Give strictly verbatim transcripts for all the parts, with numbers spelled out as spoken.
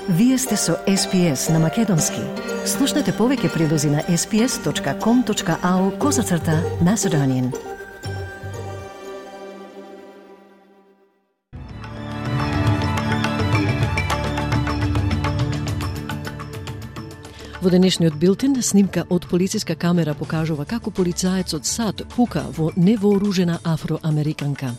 Вие сте со Ес Пи Ес на Македонски. Слушнете повеќе прилози на ес пи ес точка ком точка ау козацрта Macedonian. Во денешниот билтен, снимка од полициска камера покажува како полицаецот САД пука во невооружена афроамериканка.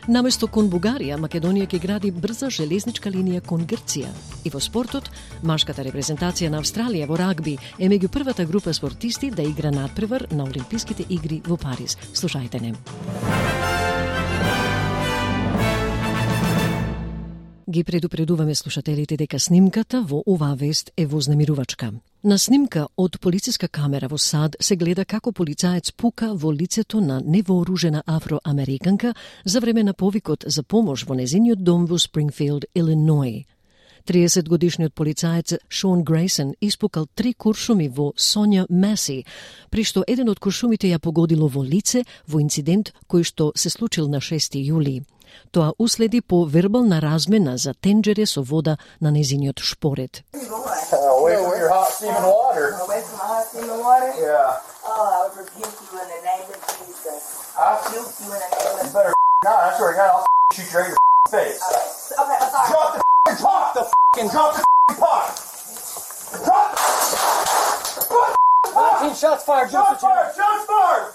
Наместо кон Бугарија, Македонија ќе гради брза железничка линија кон Грција. И во спортот, машката репрезентација на Австралија во рагби е меѓу првата група спортисти да игра надпревар на Олимписките игри во Париз. Слушајте не. Ги предупредуваме слушателите дека снимката во оваа вест е вознемирувачка. На снимка од полициска камера во САД се гледа како полицаец пука во лицето на невооружена афроамериканка за време на повикот за помош во незиниот дом во Спрингфилд, Илиној. триесетгодишниот полицаец Шон Грейсон испукал три куршуми во Соња Маси, при што еден од куршумите ја погодило во лице во инцидент кој што се случил на шести јули. Тоа уследи по вербална размена за тенџере со вода на незиниот шпоред. Away from your hot steaming water. Away from my hot steaming water? Yeah. Oh, I would rebuke you in the name of Jesus. I Rebuke you in the name of You better not. I swear to God, I'll shoot you right in your face. Okay, I'm sorry. Drop the pot. The fucking drop the pot. Drop. nineteen shots fired. Shots fired. Shots fired.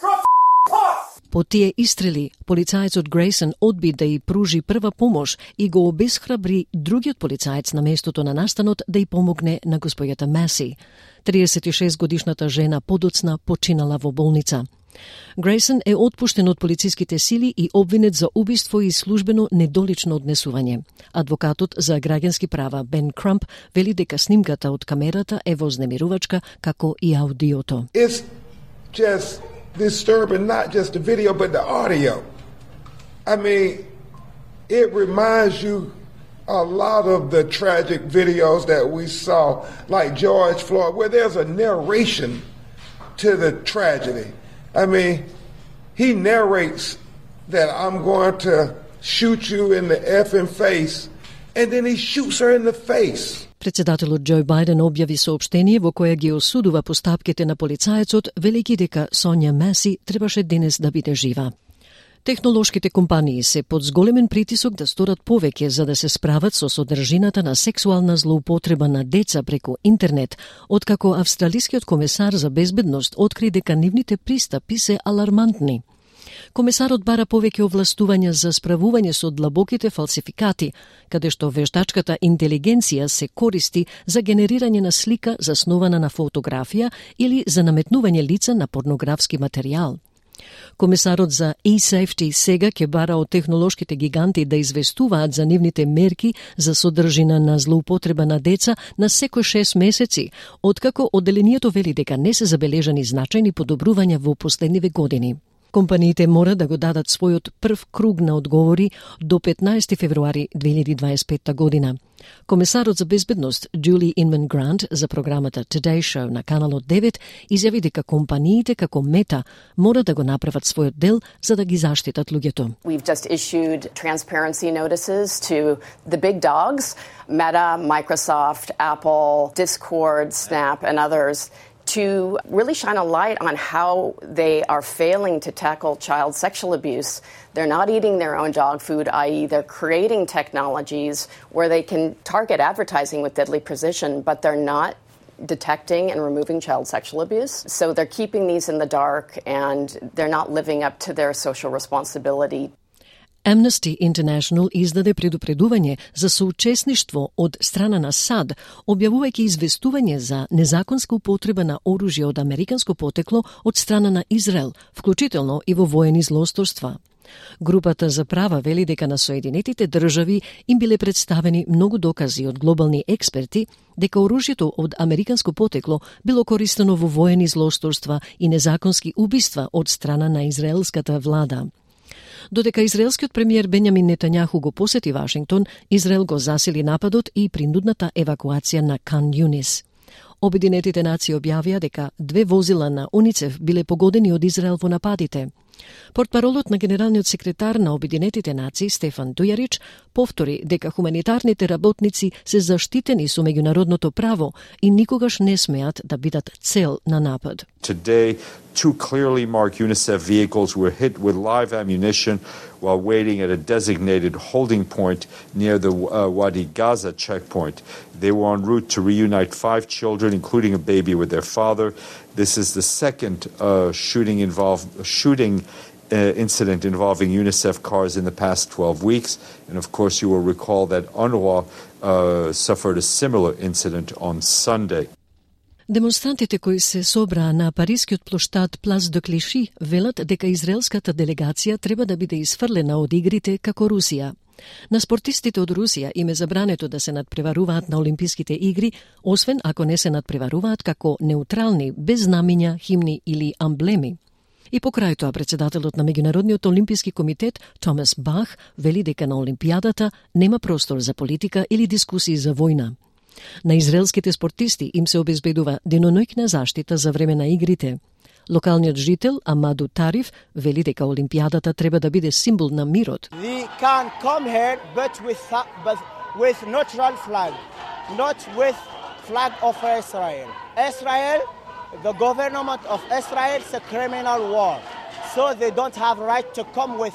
Drop the pot. По тие истрели, полицаецот Грейсон одби да и пружи прва помош и го обесхрабри другиот полицаец на местото на настанот да и помогне на господјата Маси. триесет и шест годишната жена подоцна починала во болница. Грейсон е отпуштен од полициските сили и обвинет за убиство и службено недолично однесување. Адвокатот за граѓански права Бен Крумп вели дека снимката од камерата е вознемирувачка како и аудиото. It's just disturbing, not just the video, but the audio. I mean, it reminds you a lot of the tragic videos that we saw, like George Floyd, where there's a narration to the tragedy. I mean, he narrates that I'm going to shoot you in the effing face, and then he shoots her in the face. Председателот Џо Бајден објави соопштение во кое ги осудува постапките на полицаецот, велики дека Соња Маси требаше денес да биде жива. Технолошките компании се под зголемен притисок да сторат повеќе за да се справат со содржината на сексуална злоупотреба на деца преку интернет, откако австралискиот комесар за безбедност откри дека нивните пристапи се алармантни. Комесарот бара повеќе овластувања за справување со длабоките фалсификати, каде што вештачката интелигенција се користи за генерирање на слика заснована на фотографија или за наметнување лица на порнографски материјал. Комесарот за e-safety сега ќе бара од технолошките гиганти да известуваат за нивните мерки за содржина на злоупотреба на деца на секој шест месеци, откако одделението вели дека не се забележани значајни подобрувања во последниве години. Компаниите мора да го дадат својот прв круг на одговори до петнаесети февруари две илјади дваесет и петта година. Комесарот за безбедност Джули Инман Грант за програмата Today Show на каналот девет изјави дека компаниите како Мета мора да го направат својот дел за да ги заштитат луѓето. We've just issued transparency notices to the big dogs, Meta, Microsoft, Apple, Discord, Snap, and others, to really shine a light on how they are failing to tackle child sexual abuse. They're not eating their own dog food, that is they're creating technologies where they can target advertising with deadly precision, but they're not detecting and removing child sexual abuse. So they're keeping these in the dark and they're not living up to their social responsibility. Amnesty International издаде предупредување за соучесништво од страна на САД, објавувајќи известување за незаконска употреба на оружје од американско потекло од страна на Израел, вклучително и во воени злосторства. Групата за права вели дека на Соединетите држави им биле представени многу докази од глобални експерти дека оружјето од американско потекло било користено во воени злосторства и незаконски убиства од страна на израелската влада. Додека израелскиот премиер Бенјамин Нетањаху го посети Вашингтон, Израел го засили нападот и принудната евакуација на Кан Јунис. Обединетите нации објавија дека две возила на УНИЦЕФ биле погодени од Израел во нападите. Портпаролот на генералниот секретар на Обединетите нации Стефан Дујарич повтори дека хуманитарните работници се заштитени со меѓународното право и никогаш не смеат да бидат цел на напад. Today, two clearly marked UNICEF vehicles were hit with live ammunition while waiting at a designated holding point near the uh, Wadi Gaza checkpoint. They were en route to reunite five children, including a baby, with their father. This is the second uh, shooting involved shooting uh, incident involving UNICEF cars in the past twelve weeks. And of course, you will recall that UNRWA uh, suffered a similar incident on Sunday. Демонстрантите кои се собраа на парискиот плоштад Плас де Клиши велат дека израелската делегација треба да биде изфрлена од игрите како Русија. На спортистите од Русија им е забрането да се надпреваруваат на Олимписките игри, освен ако не се надпреваруваат како неутрални, без знамиња, химни или амблеми. И покрај тоа председателот на Меѓународниот олимписки комитет Томас Бах вели дека на Олимпијадата нема простор за политика или дискусии за војна. На израелските спортисти им се обезбедува деноноќна заштита за време на игрите. Локалниот жител Амаду Тариф вели дека Олимпијадата треба да биде символ на мирот. We can come here but with but with neutral flag, not with flag of Israel. Israel, the government of Israel is a criminal war. So they don't have right to come with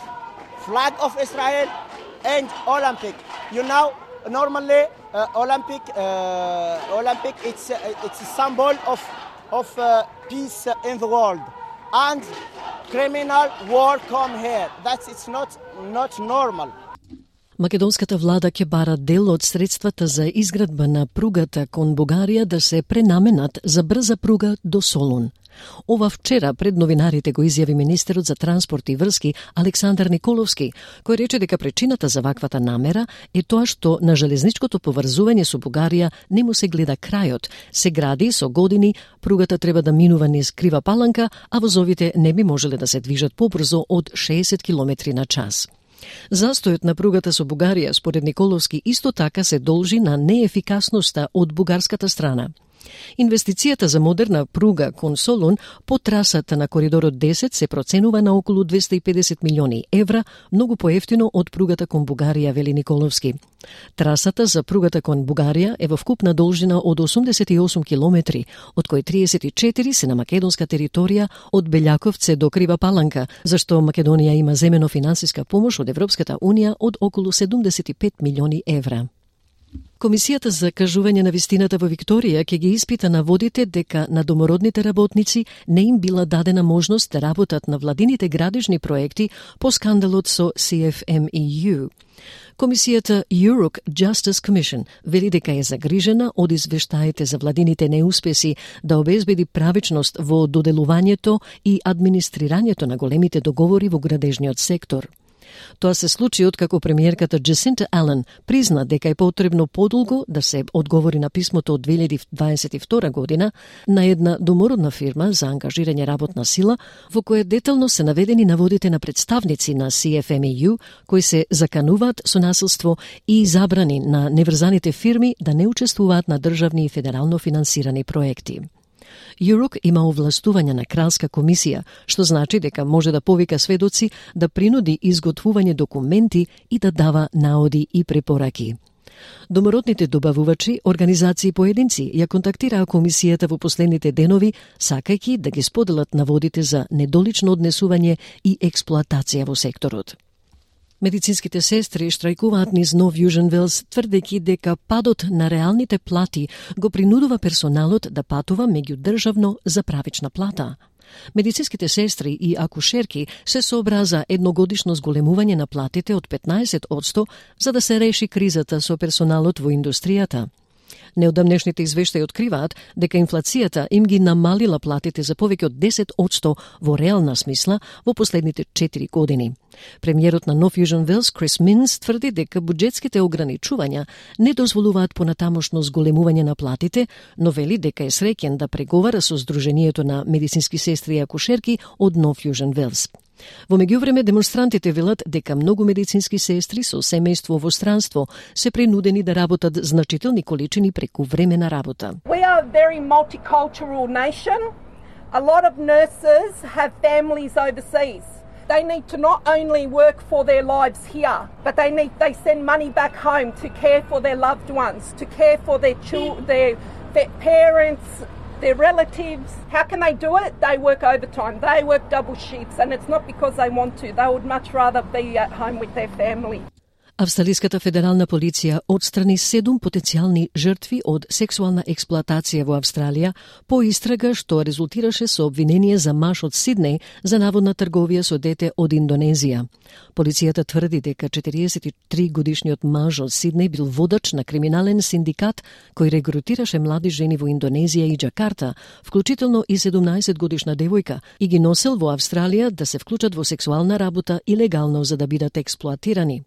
flag of Israel and Olympic. You know, normally uh, Olympic uh, Olympic it's uh, it's a symbol of of uh, peace in the world, and criminal war come here. That's it's not not normal. Македонската влада ќе бара дел од средствата за изградба на пругата кон Бугарија да се пренаменат за брза пруга до Солун. Ова вчера пред новинарите го изјави министерот за транспорт и врски Александар Николовски, кој рече дека причината за ваквата намера е тоа што на железничкото поврзување со Бугарија не му се гледа крајот. Се гради со години, пругата треба да минува низ крива паланка, а возовите не би можеле да се движат побрзо од шеесет километри на час. Застојот на пругата со Бугарија, според Николовски, исто така се должи на неефикасноста од бугарската страна. Инвестицијата за модерна пруга кон Солун по трасата на коридорот десет се проценува на околу двесте и педесет милиони евра, многу поевтино од пругата кон Бугарија, вели Николовски. Трасата за пругата кон Бугарија е во вкупна должина од осумдесет и осум километри, од кои триесет и четири се на македонска територија од Белјаковце до Крива Паланка, зашто Македонија има земено финансиска помош од Европската Унија од околу седумдесет и пет милиони евра. Комисијата за кажување на вистината во Викторија ќе ги испита наводите дека на домородните работници не им била дадена можност да работат на владините градежни проекти по скандалот со Си Еф Ем И Ю. Комисијата Europe Justice Commission вели дека е загрижена од извештаите за владините неуспеси да обезбеди правичност во доделувањето и администрирањето на големите договори во градежниот сектор. Тоа се случи откако премиерката Джесинта Ален призна дека е потребно подолго да се одговори на писмото од две илјади дваесет и втора година на една домородна фирма за ангажирање работна сила, во кое детално се наведени наводите на представници на Си Еф Ем И Ю кои се закануваат со насилство и забрани на неврзаните фирми да не учествуваат на државни и федерално финансирани проекти. ЮРОК има овластување на кралска комисија, што значи дека може да повика сведоци, да принуди изготвување документи и да дава наоди и препораки. Домородните добавувачи, организации и поединци ја контактираа комисијата во последните денови, сакајќи да ги споделат наводите за недолично однесување и експлоатација во секторот. Медицинските сестри штрајкуваат низ Нов Јужен Велс, тврдејќи дека падот на реалните плати го принудува персоналот да патува меѓудржавно за правична плата. Медицинските сестри и акушерки се сообраза за едногодишно зголемување на платите од петнаесет одсто за да се реши кризата со персоналот во индустријата. Неодамнешните извештаи откриваат дека инфлацијата им ги намалила платите за повеќе од десет одсто во реална смисла во последните четири години. Премиерот на Нов Јужен Велс, Крис Минс, тврди дека буџетските ограничувања не дозволуваат понатамошно зголемување на платите, но вели дека е среќен да преговара со Сдруженијето на медицински сестри и акушерки од Нов Јужен Велс. Во меѓувреме, демонстрантите велат дека многу медицински сестри со семејство во странство се принудени да работат значителни количини преку време на работа. We are a very multicultural nation. A lot of nurses have families overseas. They need to not only work for their lives here, but they need they send money back home to care for their loved ones, to care for their children, their, their parents, their relatives. How can they do it? They work overtime. They work double shifts, and it's not because they want to. They would much rather be at home with their family. Австралиската федерална полиција отстрани седум потенцијални жртви од сексуална експлоатација во Австралија по истрага што резултираше со обвинение за маж од Сиднеј за наводна трговија со дете од Индонезија. Полицијата тврди дека четириесет и три годишниот маж од Сиднеј бил водач на криминален синдикат кој регрутираше млади жени во Индонезија и Џакарта, вклучително и седумнаесет годишна девојка, и ги носел во Австралија да се вклучат во сексуална работа илегално за да бидат експлоатирани.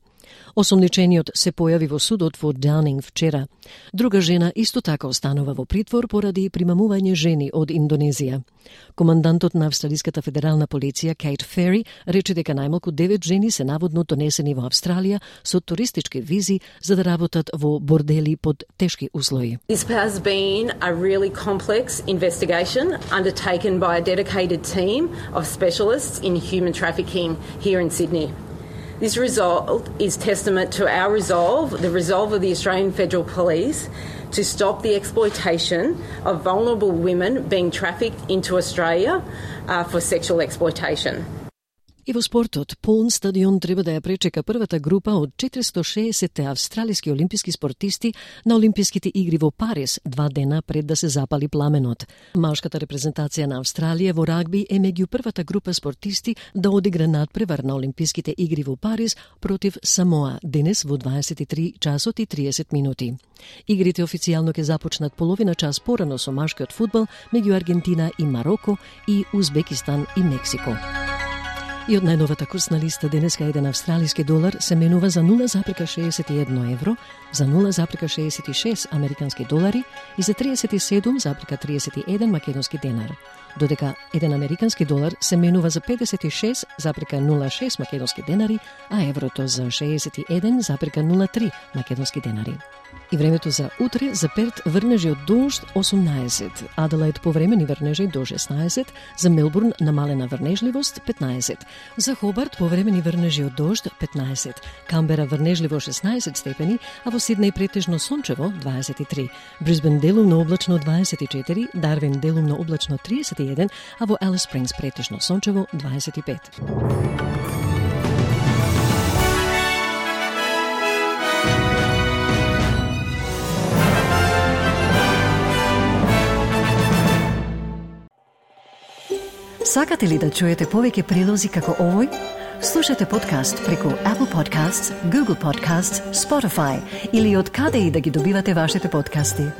Осомничениот се појави во судот во Даунинг вчера. Друга жена исто така останува во притвор поради примамување жени од Индонезија. Командантот на Австралиската федерална полиција Кейт Фери рече дека најмалку девет жени се наводно донесени во Австралија со туристички визи за да работат во бордели под тешки услови. This has been a really complex investigation undertaken by a dedicated team of specialists in human trafficking here in Sydney. This result is testament to our resolve, the resolve of the Australian Federal Police, to stop the exploitation of vulnerable women being trafficked into Australia uh, for sexual exploitation. И во спортот, полн стадион треба да ја пречека првата група од четиристо шеесет австралиски олимписки спортисти на Олимписките игри во Париз, два дена пред да се запали пламенот. Машката репрезентација на Австралија во рагби е меѓу првата група спортисти да одигра надпревар на Олимписките игри во Париз против Самоа денес во дваесет и три часот и триесет минути. Игрите официјално ќе започнат половина час порано со машкиот фудбал меѓу Аргентина и Мароко и Узбекистан и Мексико. И од најновата курсна листа денеска еден австралиски долар се менува за нула запирка шеесет и едно евро, за нула запирка шеесет и шест американски долари и за триесет и седум запирка триесет и еден македонски денар. Додека еден американски долар се менува за педесет и шест запирка нула шест македонски денари, а еврото за шеесет и еден запирка нула три македонски денари. И времето за утре за Перт врнежи од дожд осумнаесет, Аделаид повремени врнежи до шеснаесет, за Мелбурн намалена врнежливост петнаесет, за Хобарт повремени врнежи од дожд петнаесет, Камбера врнежливо шеснаесет степени, а во Сиднеј претежно сончево дваесет и три, Брисбен делумно облачно дваесет и четири, Дарвин делумно облачно триесет и еден, а во Алис Спрингс претежно сончево дваесет и пет. Сакате ли да чуете повеќе прилози како овој? Слушате подкаст преку Apple Podcasts, Google Podcasts, Spotify или од каде и да ги добивате вашите подкасти.